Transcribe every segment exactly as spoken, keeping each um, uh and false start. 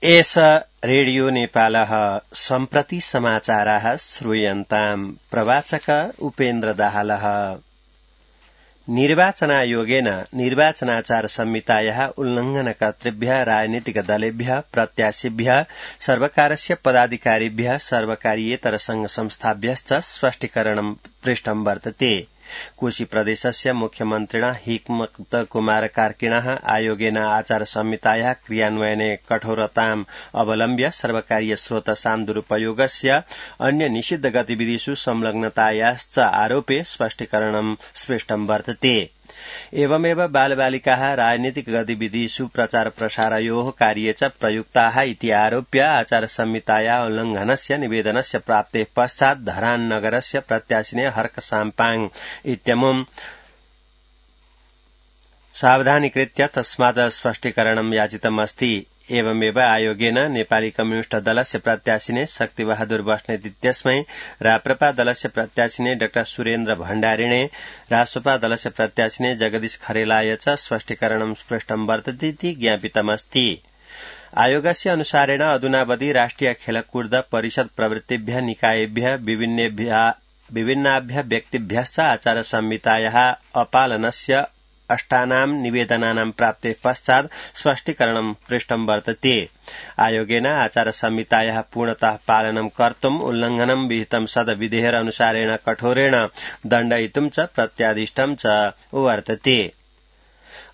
एष रेडियो नेपालः सम्प्रति समाचाराः श्रूयन्ताम् प्रवाचक उपेन्द्र दाहालः। निर्वाचनायोगेन निर्वाचनाचार संहितायाः उल्लंघनकर्तृभ्यः राजनीतिक दलेभ्यः प्रत्याशिभ्यः सर्वकारस्य पदाधिकारिभ्यः सर्वकारीयेतर संघ संस्थाभ्यश्च स्पष्टीकरणं पृष्टं वर्तते। कोशी प्रदेशस्य मुख्यमन्त्रिणा हिक्मत कुमार कार्किणः आयोगेन आचार संहितायाः क्रियान्वयने कठोरताम् अवलम्ब्य सर्वकारीय स्रोतसां दुरुपयोगस्य अन्य निषिद्ध गतिविधिषु संलग्नतायाश्च आरोपे स्पष्टीकरणं स्पष्टं वर्तते। एवमेव बालबालिकाः राजनीतिक गतिविधिषु प्रचार प्रसारयोः कार्ये च प्रयुक्ताः इति आरोप्य आचार संहितायाः उल्लंघनस्य निवेदनस्य प्राप्तेः पश्चात् धरान नगरस्य प्रत्याशिने हर्क साम्पाङ इत्यमुम् सावधानीकृत्य तस्मात् स्पष्टीकरणं याचितमस्ति। एवमेव आयोगेन नेपाली कम्युनिष्ट दलस्य प्रत्याशिने शक्तिबहादुर बस्नेत इत्यस्मै राप्रपा दलस्य प्रत्याशिने डाक्टर सुरेन्द्र भण्डारिणे रासपा दलस्य प्रत्याशिने जगदीश खरेलाय च स्पष्टीकरणं स्पष्टं वर्तते इति ज्ञापितमस्ति। आयोगस्य अनुसारेण अधुनावधि राष्ट्रिय खेलकूद परिषद प्रवृत्तिभ्यः निकायेभ्यः विभिन्नाभ्यः व्यक्तिभ्यश्च आचार संहितायाः अपालनस्य अष्टानां निवेदनानां प्राप्तेः पश्चात् स्पष्टीकरणं पृष्टं वर्तते। आयोगेन आचार संहितायाः पूर्णतः पालनं कर्तुम् उल्लंघनं विहितं सद्विधेयर अनुसारेण कठोरेण दण्डयितुं च प्रत्यादिष्टं च वर्तते।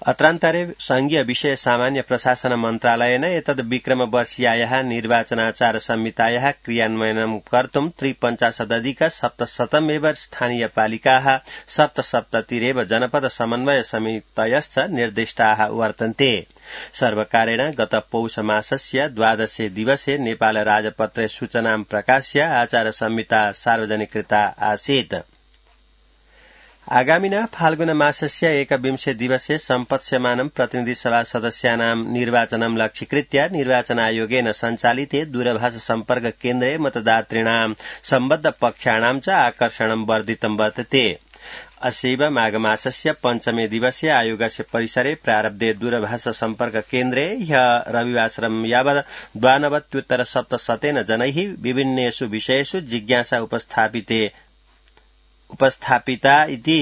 अत्रान्तरे संघीय विषय सामान्य प्रशासन मन्त्रालयेन एतद् विक्रमवर्षीयायाः निर्वाचनाचार संहितायाः क्रियान्वयनं कर्तुं त्रिपञ्चाशदधिक सप्तशतमेव स्थानीयपालिकाः सप्तसप्ततिरेव जनपद समन्वय समितयश्च निर्दिष्टाः वर्तन्ते। सर्वकारेण गत पौष मासस्य द्वादशे दिवसे नेपाल राजपत्रे सूचनां प्रकाश्य आचार संहिता सार्वजनिकृता आसीत्। आगामिना फाल्गुन मासस्य एकविंशे दिवसे सम्पत्स्यमानं प्रतिनिधिसभा सदस्यानां निर्वाचनं लक्ष्यीकृत्य निर्वाचन आयोगेन सञ्चालिते दूरभाष सम्पर्क केन्द्रे मतदातॄणां सम्बद्ध पक्षाणां च आकर्षणं वर्धितं वर्तते। अस्यैव माघमासस्य पञ्चमे दिवसे आयोगस्य परिसरे प्रारब्धे दूरभाष सम्पर्क केन्द्रे ह्यः रविवासरं यावत् द्वानवत्युत्तर सप्तशतेन जनैः विभिन्नेषु विषयेषु जिज्ञासा उपस्थापिते उपस्थापिता इति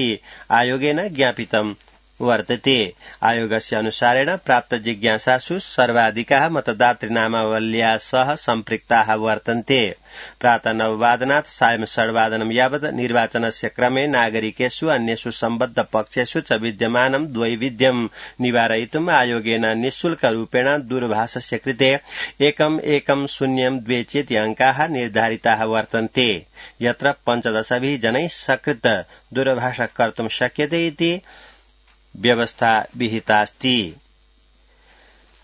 आयोगेन ज्ञापितं वर्तते। आयोगस्य अनुसारेण प्राप्त जिज्ञासासु सर्वाधिकाः मतदातृनामावल्या सह सम्पृक्ताः वर्तन्ते। प्रातः नववादनात् सायं षड्वादनं यावत् निर्वाचनस्य क्रमे नागरिकेषु अन्येषु सम्बद्ध पक्षेषु च विद्यमानं द्वैविध्यं निवारयितुम् आयोगेन निःशुल्करूपेण दूरभाषस्य कृते एकम् एकम् शून्यं द्वे चेति अङ्काः निर्धारिताः वर्तन्ते, यत्र पञ्चदशभिः जनैः सकृत् दूरभाषा कर्तुं शक्यते इति व्यवस्था विहितास्ति।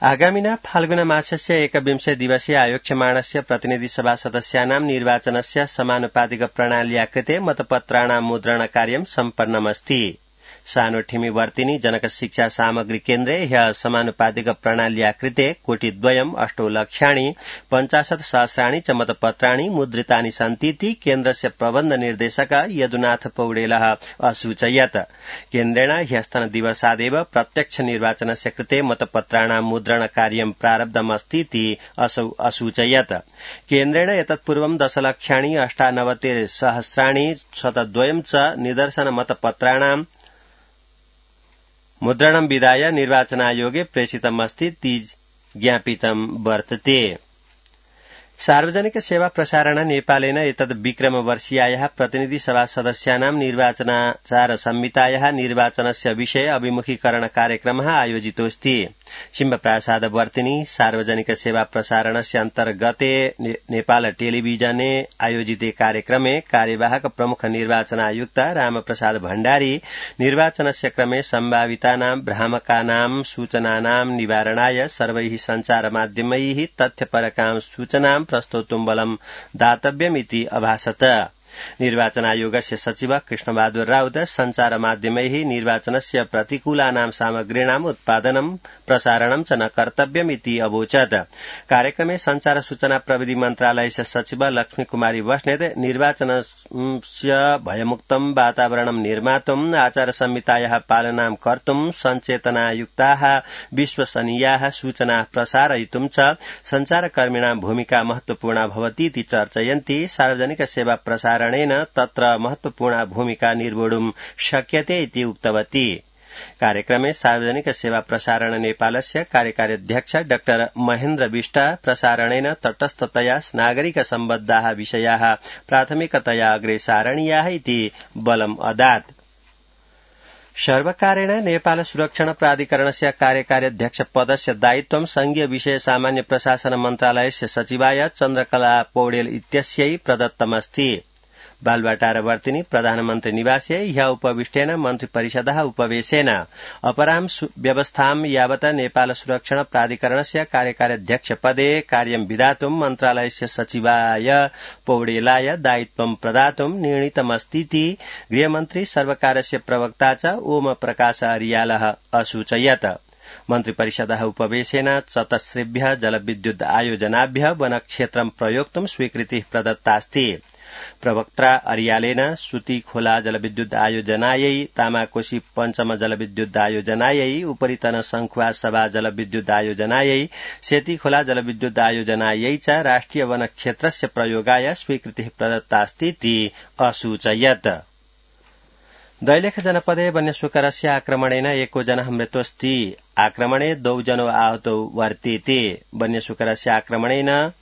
आगामिना फाल्गुन मासस्य एकविंशे दिवसे आयोक्ष्यमाणस्य प्रतिनिधिसभा सदस्यानां निर्वाचनस्य समानुपातिक प्रणाल्या कृते मतपत्राणां मुद्रणकार्यं सम्पन्नमस्ति। सानोठिमीवर्तिनी जनक शिक्षा सामग्री केन्द्रे ह्यः समानुपातिक प्रणाल्या कृते कोटिद्वयम् अष्टौ लक्षाणि पञ्चाशत् सहस्राणि च मतपत्राणि मुद्रितानि सन्तीति केन्द्रस्य प्रबन्ध निर्देशक यदुनाथ पौडेलः असूचयत्। केन्द्रेण ह्यस्तनदिवसादेव प्रत्यक्ष निर्वाचनस्य कृते मतपत्राणां मुद्रण कार्यं प्रारब्धमस्तीति असौ असूचयत्। केन्द्रेण एतत्पूर्वं दशलक्षाणि अष्टानवति सहस्राणि शतद्वयं च निदर्शन मतपत्राणां मुद्रणं विधाय निर्वाचनायोगे प्रेषितमस्ति इति ज्ञापितं वर्तते। सार्वजनिक सेवा प्रसारण नेपालेन एतद् विक्रमवर्षीयायाः प्रतिनिधिसभा सदस्यानां निर्वाचनाचार संहितायाः निर्वाचनस्य विषय अभिमुखीकरण कार्यक्रमः आयोजितोऽस्ति। सिंहप्रसादवर्तिनी सार्वजनिक सेवा प्रसारणस्य अन्तर्गते नेपाल टेलिभिजने आयोजिते कार्यक्रमे कार्यवाहक प्रमुख निर्वाचन आयुक्त रामप्रसाद भण्डारी निर्वाचनस्य क्रमे सम्भावितानां भ्रामकानां सूचनानां निवारणाय सर्वैः सञ्चारमाध्यमैः तथ्यपरकां सूचनां प्रस्तोतुं बलं दातव्यमिति अभाषत। निर्वाचन आयोगस्य सचिव कृष्णबहादुर राउत संचार माध्यमैः निर्वाचनस्य प्रतिकूलानां सामग्रीणाम् उत्पादनं प्रसारणं च न कर्तव्यमिति अवोचत्। कार्यक्रमे संचार सूचना प्रविधि मन्त्रालयस्य सचिव लक्ष्मी कुमारी बस्नेत निर्वाचनस्य भयमुक्तं वातावरणं निर्मातुम् आचार संहितायाः पालनां कर्तुं सञ्चेतनायुक्ताः विश्वसनीयाः सूचना प्रसारयितुं च संचारकर्मिणां भूमिका महत्वपूर्णा भवतीति चर्चयन्ति। सार्वजनिक सेवा प्रसारणेन तत्र महत्वपूर्णा भूमिका निर्वोढुं शक्यते इति उक्तवती। कार्यक्रमे सार्वजनिक सेवा प्रसारण नेपालस्य कार्यकारी अध्यक्ष डाक्टर महेन्द्र विष्ट प्रसारणेन तटस्थतया नागरिक सम्बद्धाः विषयाः प्राथमिकतया अग्रे सारणीयाः इति बलम् अदात्। सर्वकारेण नेपाल सुरक्षण प्राधिकरणस्य कार्यकारी अध्यक्ष पदस्य दायित्वं संघीय विषय सामान्य प्रशासन मन्त्रालयस्य सचिवाय चन्द्रकला पौडेल इत्यस्यै प्रदत्तमस्ति। बालुवाटारवर्तिनी प्रधानमन्त्री निवासे ह्य उपविष्टेन मन्त्री परिषदः उपवेशेन अपरां व्यवस्थां यावत् नेपाल सुरक्षण प्राधिकरणस्य कार्यकारी अध्यक्ष पदे कार्यं विधातुं मन्त्रालयस्य सचिवाय पौडेलाय दायित्वं प्रदातुं निर्णीतमस्तीति गृहमन्त्री सर्वकारस्य प्रवक्ता च ओम प्रकाश अरियालः असूचयत्। मन्त्रिपरिषदः उपवेशेन चतस्रेभ्यः जलविद्युत आयोजनाभ्यः वनक्षेत्रं प्रयोक्तुं स्वीकृतिः प्रदत्तास्ति। प्रवक्ता अरियालेन सुती खोला जलविद्युत आयोजनायै, तामाकोशी पञ्चम जलविद्युत आयोजनायै, उपरितन संखुवा सभा जलविद्युत आयोजनायै, सेती खोला जलविद्युत आयोजनायै च राष्ट्रिय वनक्षेत्रस्य प्रयोगाय स्वीकृतिः प्रदत्तास्तीति असूचयत्। दैलेख जनपदे वन्यशुकरस्य आक्रमणेन एको जनः मृतोऽस्ति। आक्रमणे द्वौ जनौ आहतौ वर्तेते। वन्यशुकरस्य आक्रमणेन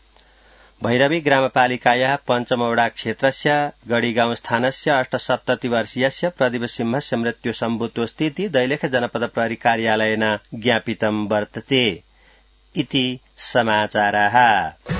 भैरवी ग्रामपालिकायाः पञ्चमवडा क्षेत्रस्य गढीगाउँ स्थानस्य अष्टसप्तति वर्षीयस्य प्रदीप सिंहस्य मृत्यु सम्भूतोऽस्तीति दैलेख जनपद प्रहरी कार्यालयेन ज्ञापितं वर्तते। इति समाचाराः।